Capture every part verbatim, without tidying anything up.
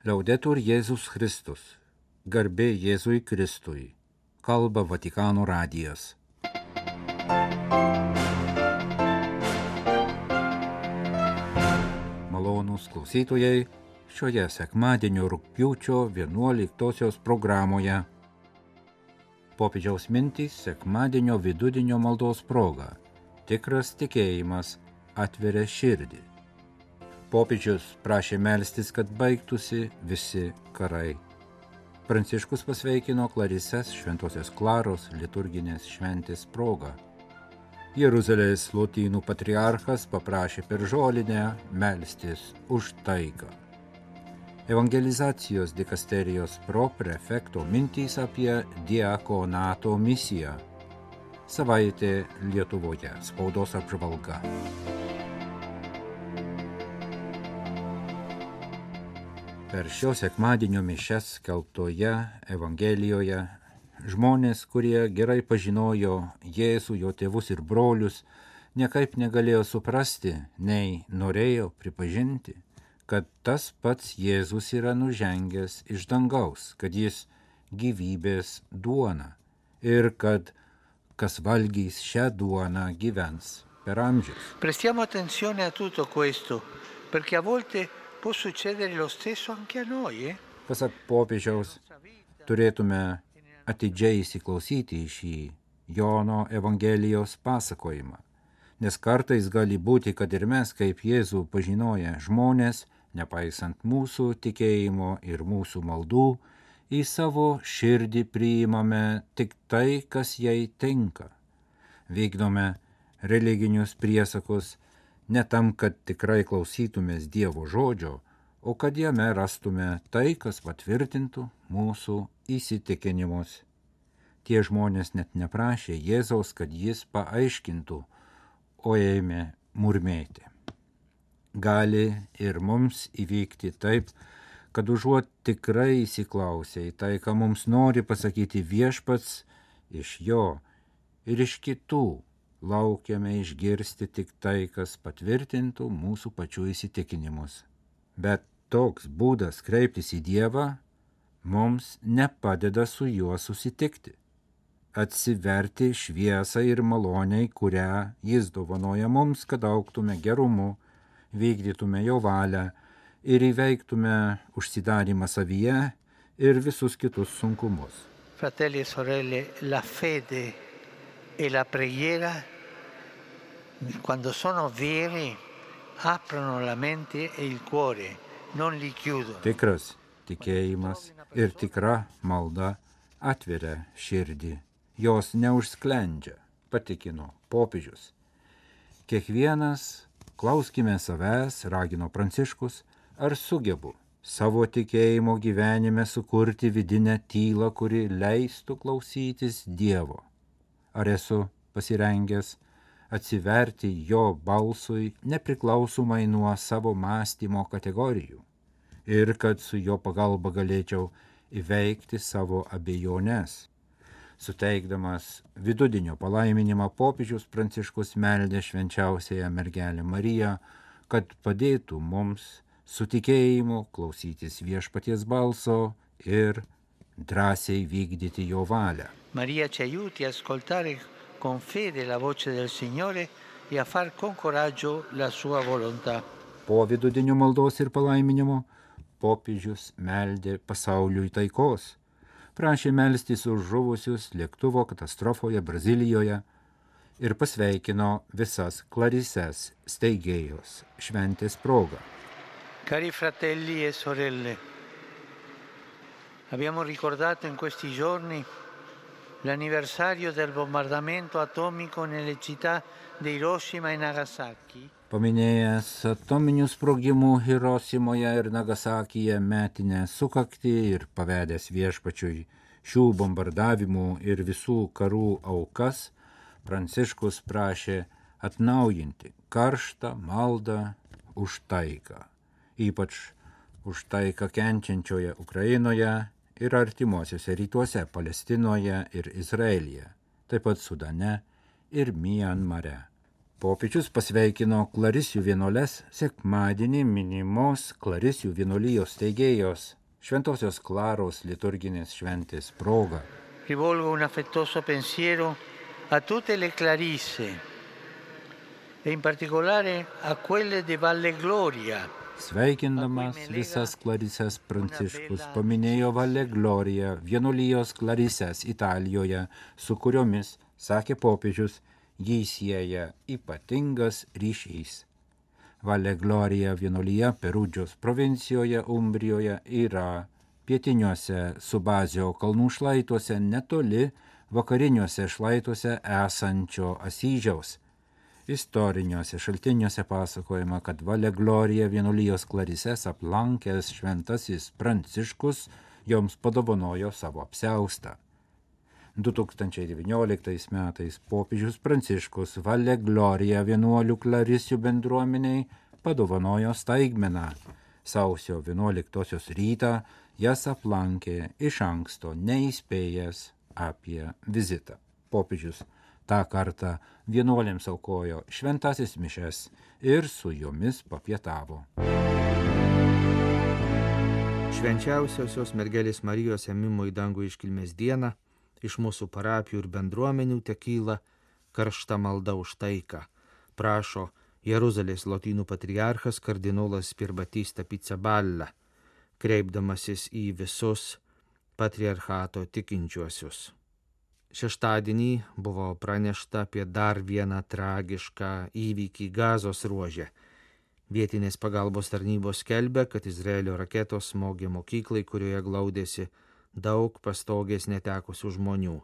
Liaudetur Jėzus Kristus. Garbė Jėzui Kristui. Kalba Vatikano radijas. Malonūs klausytojai, šioje sekmadienio rugpjūčio vienuoliktosios programoje popiežiaus mintys sekmadienio vidudienio maldos proga. Tikras tikėjimas atveria širdį. Popiežius prašė melstis, kad baigtųsi visi karai. Pranciškus pasveikino Klarises Šventosios Klaros liturginės šventės proga. Jeruzalės lotynų patriarchas paprašė per žolinę melstis už taiką. Evangelizacijos dikasterijos proprefekto mintys apie diakonato misiją. Savaitė Lietuvoje. Spaudos apžvalga. Per šio sekmadienio mišias skelbtoje Evangelijoje žmonės, kurie gerai pažinojo Jėzų, jo tėvus ir brolius, niekaip negalėjo suprasti, nei norėjo pripažinti, kad tas pats Jėzus yra nužengęs iš dangaus, kad jis gyvybės duona ir kad kas valgys šią duoną gyvens per amžius. Prestiamo attenzione a tutto questo, perché a volte può succedere lo stesso anche a noi. Eh? Pasak popiežiaus, turėtume atidžiai įsiklausyti į šį Jono Evangelijos pasakojimą, nes kartais gali būti, kad ir mes, kaip Jėzų pažinoję žmonės, nepaisant mūsų tikėjimo ir mūsų maldų, į savo širdį priimame tik tai, kas jai tinka. Vykdome religinius priesakus ne tam, kad tikrai klausytumės Dievo žodžio, o kad jame rastume tai, kas patvirtintų mūsų įsitikinimus. Tie žmonės net neprašė Jėzaus, kad jis paaiškintų, o ėmė murmėti. Gali ir mums įvykti taip, kad užuot tikrai įsiklausę į tai, ką mums nori pasakyti Viešpats, iš jo ir iš kitų laukiame išgirsti tik tai, kas patvirtintų mūsų pačių įsitikinimus. Bet toks būdas kreiptis į Dievą mums nepadeda su juo susitikti, atsiverti šviesą ir maloniai, kurią jis dovanoja mums, kad augtume gerumu, vykdytume jo valią ir įveiktume užsidarymą savyje ir visus kitus sunkumus. Fratelli e sorelle, la fede e la preghiera, quando sono veri, aprono la mente e il cuore, non li chiudono. Tikras tikėjimas ir tikra malda atveria širdį, jos neužsklendžia, patikino popiežius. Kiekvienas klauskime savęs, ragino Pranciškus, ar sugebu savo tikėjimo gyvenime sukurti vidinę tylą, kuri leistų klausytis Dievo. Ar esu pasirengęs atsiverti jo balsui nepriklausomai nuo savo mąstymo kategorijų ir kad su jo pagalba galėčiau įveikti savo abejones. Suteikdamas vidudienio palaiminimą, popiežius Pranciškus meldė švenčiausiąją mergelę Mariją, kad padėtų mums su tikėjimu klausytis Viešpaties balso ir drąsiai vykdyti jo valią. Maria ci aiuti a ascoltare con fede la voce del Signore e a far con coraggio la sua volontà. Po vidudienio maldos ir palaiminimo popiežius meldė pasauliui taikos, prašė melstis už žuvusius lėktuvo katastrofoje Brazilijoje ir pasveikino visas Klarises steigėjos šventės proga. Cari fratelli e sorelle, abbiamo ricordato in questi giorni l'anniversario del bombardamento atomico nelle città di Hiroshima e Nagasaki. Paminėjęs atominių sprogimų Hirosimoje ir Nagasakyje metinę sukaktį ir pavedęs Viešpačiui šių bombardavimų ir visų karų aukas, Pranciškus prašė atnaujinti karštą maldą už taiką, ypač už taiką kenčiančioje Ukrainoje ir artimuosiuose rytuose, Palestinoje ir Izraelyje, taip pat Sudane ir Mianmare. Popiežius pasveikino Klarisių vienuoles sekmadienį minimos Klarisių vienuolijos steigėjos Šventosios Klaros liturginės šventės proga. Rivolgo un affettuoso pensiero a tutte le Clarisse e in particolare a quelle di Valle Gloria. Sveikindamas visas Klarisės Pranciškus paminėjo Valle Gloria vienuolijos Klarisės Italijoje, su kuriomis, sakė popiežius, jį sieja ypatingas ryšys. Valle Gloria vienuolija Perudžios provincijoje Umbrijoje yra pietiniuose Subazio kalnų šlaituose netoli vakariniuose šlaituose esančio Asyžiaus. Istoriniuose šaltiniuose pasakojama, kad Valle Gloria vienuolijos Klarisės aplankęs šventasis Pranciškus joms padovanojo savo apsiaustą. du tūkstančiai devynioliktais metais popiežius Pranciškus Valle Gloria vienuolių Klarisių bendruomeniai padovanojo staigmeną. Sausio vienuoliktosios rytą jas aplankė iš anksto neįspėjęs apie vizitą. Popiežius tą kartą vienuolėms aukojo šventasis mišes ir su jomis papietavo. Švenčiausiosios mergelės Marijos ėmimo į dangų iškilmės dieną iš mūsų parapijų ir bendruomenių tekyla karšta malda už taiką, prašo Jeruzalės lotynų patriarchas kardinolas Pierbattista Pizzaballa, kreipdamasis į visus patriarchato tikinčiuosius. Šeštadienį buvo pranešta apie dar vieną tragišką įvykį Gazos ruože. Vietinės pagalbos tarnybos skelbia, kad Izraelio raketos smogė mokyklai, kurioje glaudėsi daug pastogės netekusių žmonių.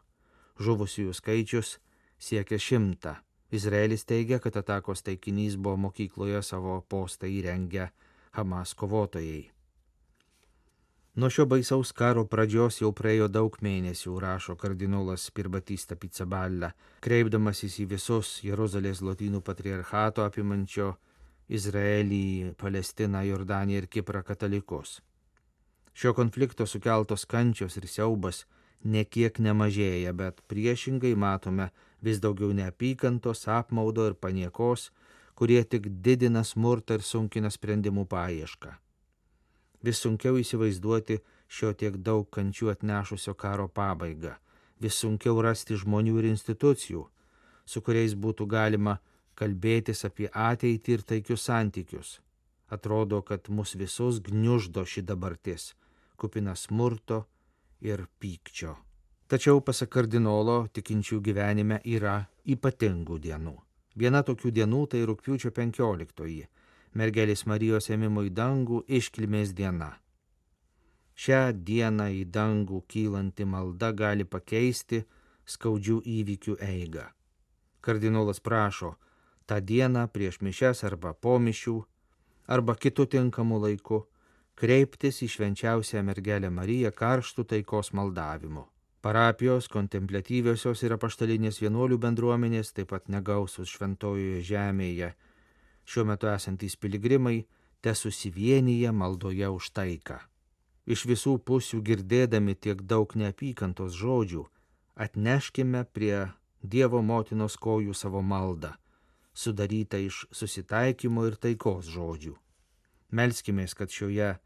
Žuvusiųjų skaičius siekia šimtą. Izraelis teigia, kad atakos taikinys buvo mokykloje savo postą įrengę Hamas kovotojai. Nuo šio baisaus karo pradžios jau praėjo daug mėnesių, rašo kardinolas Pierbattista Pizzaballa, kreipdamasis į visus Jeruzalės lotynų patriarchato apimančio Izraelį, Palestiną, Jordaniją ir Kiprą katalikus. Šio konflikto sukeltos kančios ir siaubas nekiek nemažėja, bet priešingai matome vis daugiau neapykantos, apmaudo ir paniekos, kurie tik didina smurtą ir sunkina sprendimų paiešką. Vis sunkiau įsivaizduoti šio tiek daug kančių atnešusio karo pabaigą, vis sunkiau rasti žmonių ir institucijų, su kuriais būtų galima kalbėtis apie ateitį ir taikius santykius. Atrodo, kad mus visus gniuždo ši dabartis, kupina smurto ir pykčio. Tačiau, pasak kardinolo, tikinčių gyvenime yra ypatingų dienų. Viena tokių dienų tai rugpjūčio penkioliktoji, mergelės Marijos ėmimo į dangų iškilmės diena. Šią dieną į dangų kylanti malda gali pakeisti skaudžių įvykių eigą. Kardinolas prašo tą dieną prieš mišias arba po mišių, arba kitų tinkamų laikų, kreiptis į švenčiausią mergelę Mariją karštų taikos maldavimu. Parapijos, kontempliatyviosios ir apaštalinės vienuolių bendruomenės, taip pat negausus šventojoje žemėje, šiuo metu esantys piligrimai, te susivienyje maldoje už taiką. Iš visų pusių girdėdami tiek daug neapykantos žodžių, atneškime prie Dievo motinos kojų savo maldą, sudarytą iš susitaikymo ir taikos žodžių. Melskimės, kad šioje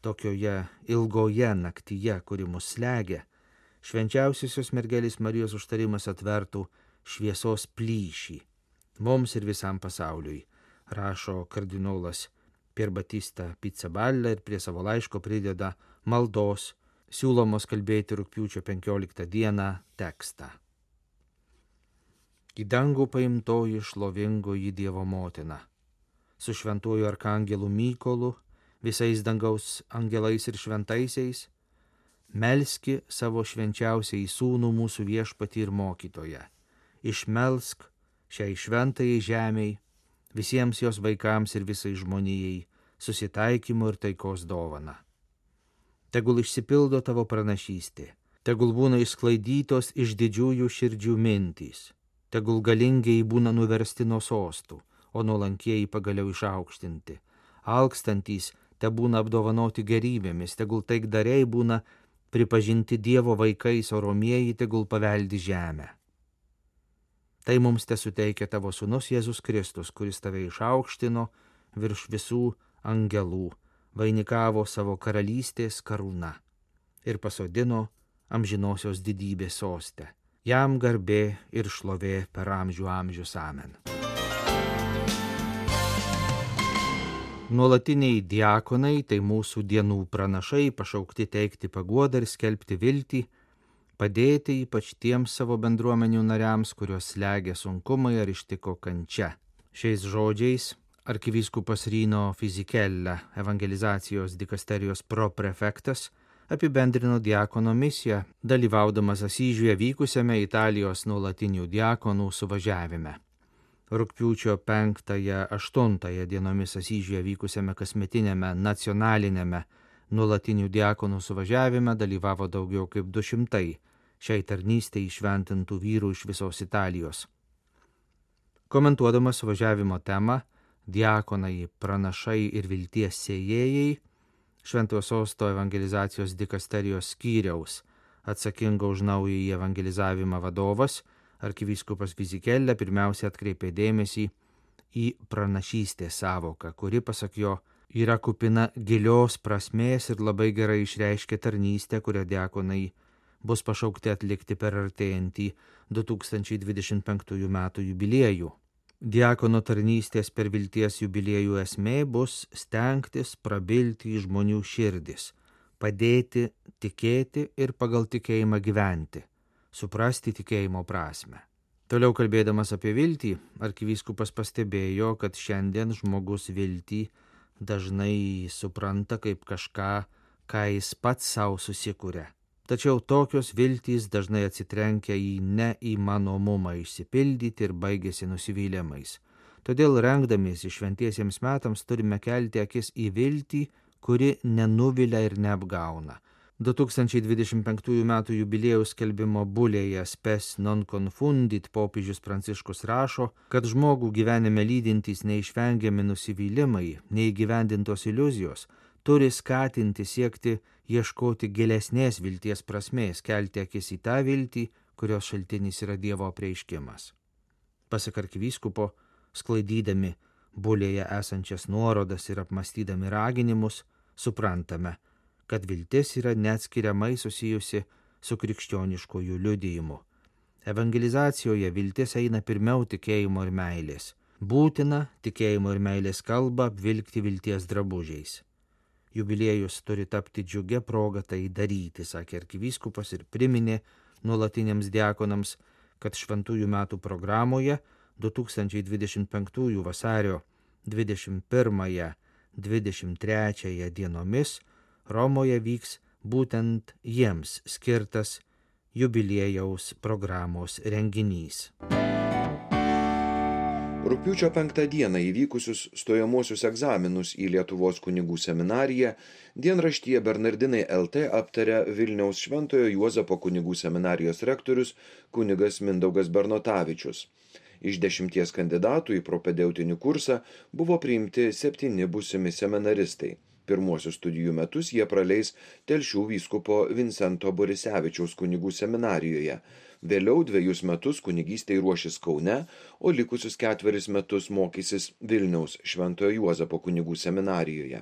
tokioje ilgoje naktyje, kuri mus slegia, švenčiausiosios mergelės Marijos užtarimas atvertų šviesos plyšį mums ir visam pasauliui, rašo kardinolas Pierbattista Pizzaballa ir prie savo laiško prideda maldos, siūlomos kalbėti rugpjūčio penkioliktą dieną tekstą. Į dangų paimtoji šlovingoji Dievo motina, su šventuoju arkangelu Mykolu, visais dangaus angelais ir šventaisiais, melski savo švenčiausiai sūnų mūsų viešpatį ir mokytoją. Išmelsk šiai šventajai žemiai, visiems jos vaikams ir visai žmonijai, susitaikymo ir taikos dovana. Tegul išsipildo tavo pranašystė, tegul būna išsklaidytos iš didžiųjų širdžių mintys, tegul galingiai būna nuversti nuo sostų, o nuolankieji pagaliau išaukštinti. Alkstantys te būna apdovanoti gerybėmis, tegul taikdariai būna pripažinti Dievo vaikais, o romieji tegul paveldi žemę. Tai mums te suteikia tavo sūnus Jėzus Kristus, kuris tave išaukštino virš visų angelų, vainikavo savo karalystės karūna ir pasodino amžinosios didybės soste. Jam garbė ir šlovė per amžių amžius. Amen. Nuolatiniai diakonai, tai mūsų dienų pranašai, pašaukti teikti paguodą ir skelbti viltį, padėti ypač tiems savo bendruomenių nariams, kuriuos slegia sunkumai ar ištiko kančia. Šiais žodžiais arkivyskupas Rino Fisichella, evangelizacijos dikasterijos proprefektas, apibendrino diakono misiją, dalyvaudamas Asyžiuje vykusiame Italijos nuolatinių diakonų suvažiavime. Rugpjūčio penktąją aštuntąją dienomis Asyžiuje vykusiame kasmetiniame nacionaliniame nuolatinių diakonų suvažiavime dalyvavo daugiau kaip du šimtai šiai tarnystei įšventintų vyrų iš visos Italijos. Komentuodamas suvažiavimo temą diakonai, pranašai ir vilties sėjėjai, Šventojo Sosto evangelizacijos dikasterijos skyriaus atsakingo už naująjį evangelizavimą vadovas arkivyskupas Fisichella pirmiausia atkreipė dėmesį į pranašystės sąvoką, kuri, pasak jo, yra kupina gilios prasmės ir labai gerai išreiškia tarnystę, kurią diakonai bus pašaukti atlikti per artėjantį du tūkstančiai dvidešimt penktųjų metų jubiliejų. Diakono tarnystės per vilties jubiliejų esmė bus stengtis prabilti į žmonių širdis, padėti tikėti ir pagal tikėjimą gyventi, suprasti tikėjimo prasme. Toliau kalbėdamas apie viltį, arkivyskupas pastebėjo, kad šiandien žmogus viltį dažnai supranta kaip kažką, ką jis pats savo susikuria. Tačiau tokios viltys dažnai atsitrenkia į neįmanomumą išsipildyti ir baigėsi nusivylimais. Todėl rengdamiesi šventiesiems metams turime kelti akis į viltį, kuri nenuvilia ir neapgauna. du tūkstančiai dvidešimt penktųjų metų jubiliejaus skelbimo bulėje Spes non confundit popiežius Pranciškus rašo, kad žmogų gyvenime lydintys neišvengiami nusivylimai, neįgyvendintos iliuzijos, turi skatinti siekti ieškoti gilesnės vilties prasmės, kelti akis į tą viltį, kurios šaltinis yra Dievo apreiškimas. Pasak arkivyskupo, sklaidydami bulėje esančias nuorodas ir apmastydami raginimus, suprantame, kad viltis yra neatskiriamai susijusi su krikščioniškojų liudijimu. Evangelizacijoje viltis eina pirmiau tikėjimo ir meilės. Būtina tikėjimo ir meilės kalbą apvilkti vilties drabužiais. Jubiliejus turi tapti džiugia proga tai daryti, sakė arkivyskupas ir priminė nuolatiniams diakonams, kad šventųjų metų programoje du tūkstančiai dvidešimt penktųjų vasario dvidešimt pirmąją - dvidešimt trečiąją dienomis Romoje vyks būtent jiems skirtas jubiliejaus programos renginys. Rugpjūčio penktą dieną įvykusius stojamosius egzaminus į Lietuvos kunigų seminariją dienraštyje Bernardinai L T aptarė Vilniaus Šventojo Juozapo kunigų seminarijos rektorius kunigas Mindaugas Bernotavičius. Iš dešimties kandidatų į propedeutinį kursą buvo priimti septyni būsimi seminaristai. Pirmuosius studijų metus jie praleis Telšių vyskupo Vincento Borisevičiaus kunigų seminarijoje. Vėliau dvejus metus kunigystei ruošis Kaune, o likusius ketveris metus mokysis Vilniaus Šventojo Juozapo kunigų seminarijoje.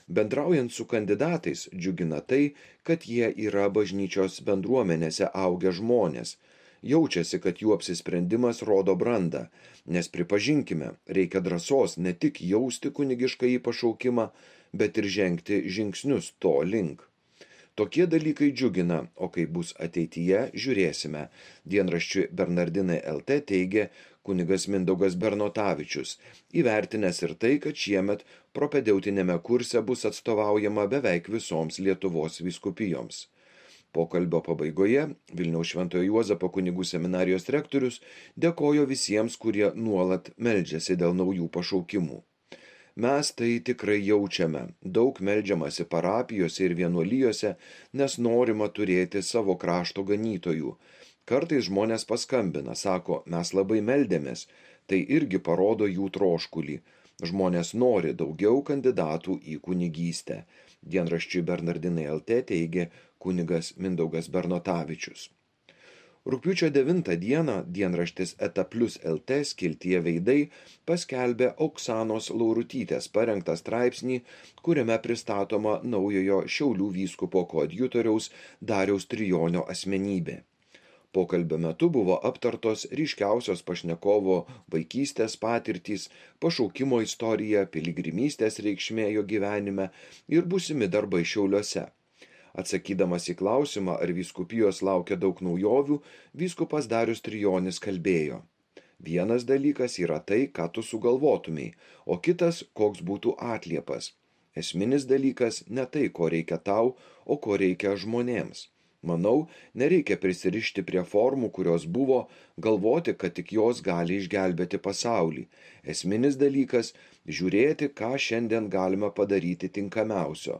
Bendraujant su kandidatais džiugina tai, kad jie yra bažnyčios bendruomenėse augę žmonės. Jaučiasi, kad jų apsisprendimas rodo brandą, nes pripažinkime, reikia drąsos ne tik jausti kunigiškąjį pašaukimą, bet ir žengti žingsnius to link. Tokie dalykai džiugina, o kaip bus ateityje, žiūrėsime. Dienraščiui Bernardinai L T teigė kunigas Mindaugas Bernotavičius, įvertinęs ir tai, kad šiemet propedeutinėme kurse bus atstovaujama beveik visoms Lietuvos vyskupijoms. Pokalbio pabaigoje Vilniaus Šventojo Juozapo kunigų seminarijos rektorius dėkojo visiems, kurie nuolat meldžiasi dėl naujų pašaukimų. Mes tai tikrai jaučiame, daug meldžiamasi parapijose ir vienuolijose, nes norima turėti savo krašto ganytojų. Kartais žmonės paskambina, sako, mes labai meldėmės, tai irgi parodo jų troškulį. Žmonės nori daugiau kandidatų į kunigystę. Dienraščiui Bernardinai L T teigė kunigas Mindaugas Bernotavičius. Rugpjūčio devintą dieną dienraštis Eta Plius L T skiltyje Veidai paskelbė Oksanos Laurutytės parengtą straipsnį, kuriame pristatoma naujojo Šiaulių vyskupo koadjutoriaus Dariaus Trijonio asmenybė. Pokalbio metu buvo aptartos ryškiausios pašnekovo vaikystės patirtys, pašaukimo istorija, piligrimystės reikšmė jo gyvenime ir būsimi darbai Šiauliuose. Atsakydamas į klausimą, ar vyskupijos laukia daug naujovių, vyskupas Darius Trijonis kalbėjo: vienas dalykas yra tai, ką tu sugalvotumei, o kitas, koks būtų atliepas. Esminis dalykas ne tai, ko reikia tau, o ko reikia žmonėms. Manau, nereikia prisirišti prie formų, kurios buvo, galvoti, kad tik jos gali išgelbėti pasaulį. Esminis dalykas – žiūrėti, ką šiandien galime padaryti tinkamiausio.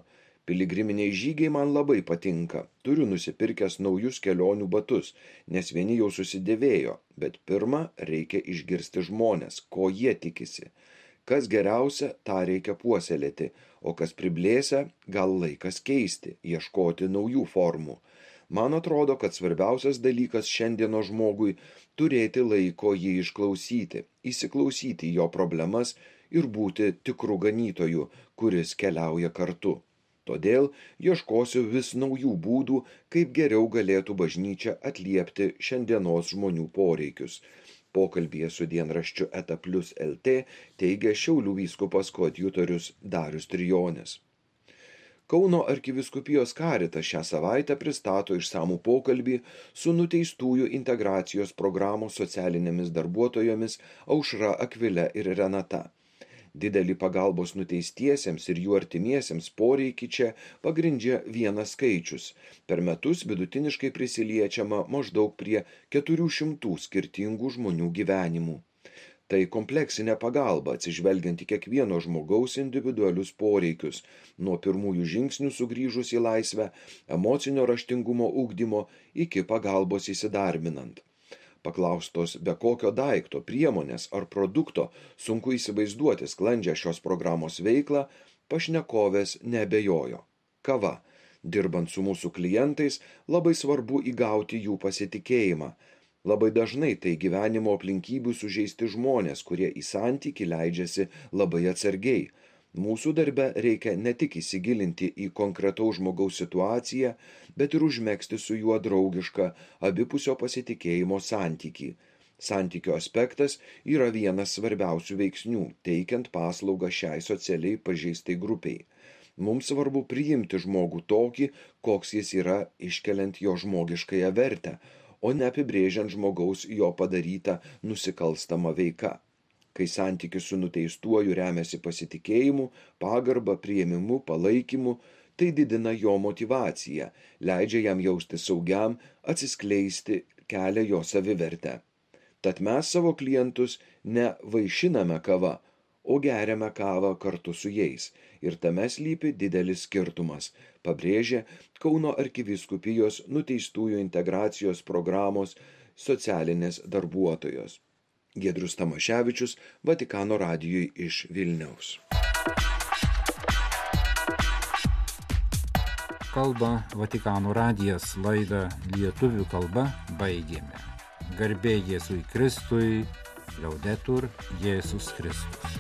Piligriminiai žygiai man labai patinka. Turiu nusipirkęs naujus kelionių batus, nes vieni jau susidėvėjo, bet pirma reikia išgirsti žmonės, ko jie tikisi. Kas geriausia, tą reikia puoselėti, o kas priblėsia, gal laikas keisti, ieškoti naujų formų. Man atrodo, kad svarbiausias dalykas šiandieno žmogui – turėti laiko jį išklausyti, įsiklausyti jo problemas ir būti tikru ganytoju, kuris keliauja kartu. Todėl ieškosiu vis naujų būdų, kaip geriau galėtų bažnyčia atliepti šiandienos žmonių poreikius. Pokalbyje su dienraščiu Eta Plius L T teigia Šiaulių vyskupas koadjutorius Darius Trijonis. Kauno arkivyskupijos karitas šią savaitę pristato išsamų pokalbį su nuteistųjų integracijos programos socialinėmis darbuotojomis Aušra, Akvile ir Renata. Didelį pagalbos nuteistiesiems ir jų artimiesiems poreikį čia pagrindžia vienas skaičius. Per metus vidutiniškai prisiliečiama maždaug prie keturių šimtų skirtingų žmonių gyvenimų. Tai kompleksinė pagalba, atsižvelgiant į kiekvieno žmogaus individualius poreikius, nuo pirmųjų žingsnių sugrįžus į laisvę, emocinio raštingumo ugdymo iki pagalbos įsidarbinant. Paklaustos be kokio daikto, priemonės ar produkto sunku įsivaizduoti sklandžią šios programos veiklą, pašnekovės neabejojo. Kava. Dirbant su mūsų klientais, labai svarbu įgauti jų pasitikėjimą. Labai dažnai tai gyvenimo aplinkybių sužeisti žmonės, kurie į santykį leidžiasi labai atsargiai. Mūsų darbe reikia ne tik įsigilinti į konkretaus žmogaus situaciją, bet ir užmegzti su juo draugišką abipusio pasitikėjimo santykį. Santykio aspektas yra vienas svarbiausių veiksnių, teikiant paslaugą šiai socialiai pažeistai grupiai. Mums svarbu priimti žmogų tokį, koks jis yra, iškeliant jo žmogiškąją vertę, o ne apibrėžiant žmogaus jo padarytą nusikalstamą veiką. Kai santykis su nuteistuoju remiasi pasitikėjimu, pagarba, priėmimu, palaikymu, tai didina jo motyvaciją, leidžia jam jausti saugiam, atsiskleisti, kelia jo savivertę. Tad mes savo klientus ne vaišiname kava, o geriame kavą kartu su jais. Ir tame slypi didelis skirtumas, pabrėžė Kauno arkivyskupijos nuteistųjų integracijos programos socialinės darbuotojos. Giedrius Tamaševičius, Vatikano radijui iš Vilniaus. Kalba Vatikano radijas, laidą lietuvių kalba baigėme. Garbė Jėzui Kristui, Liaudetur Jėzus Kristus.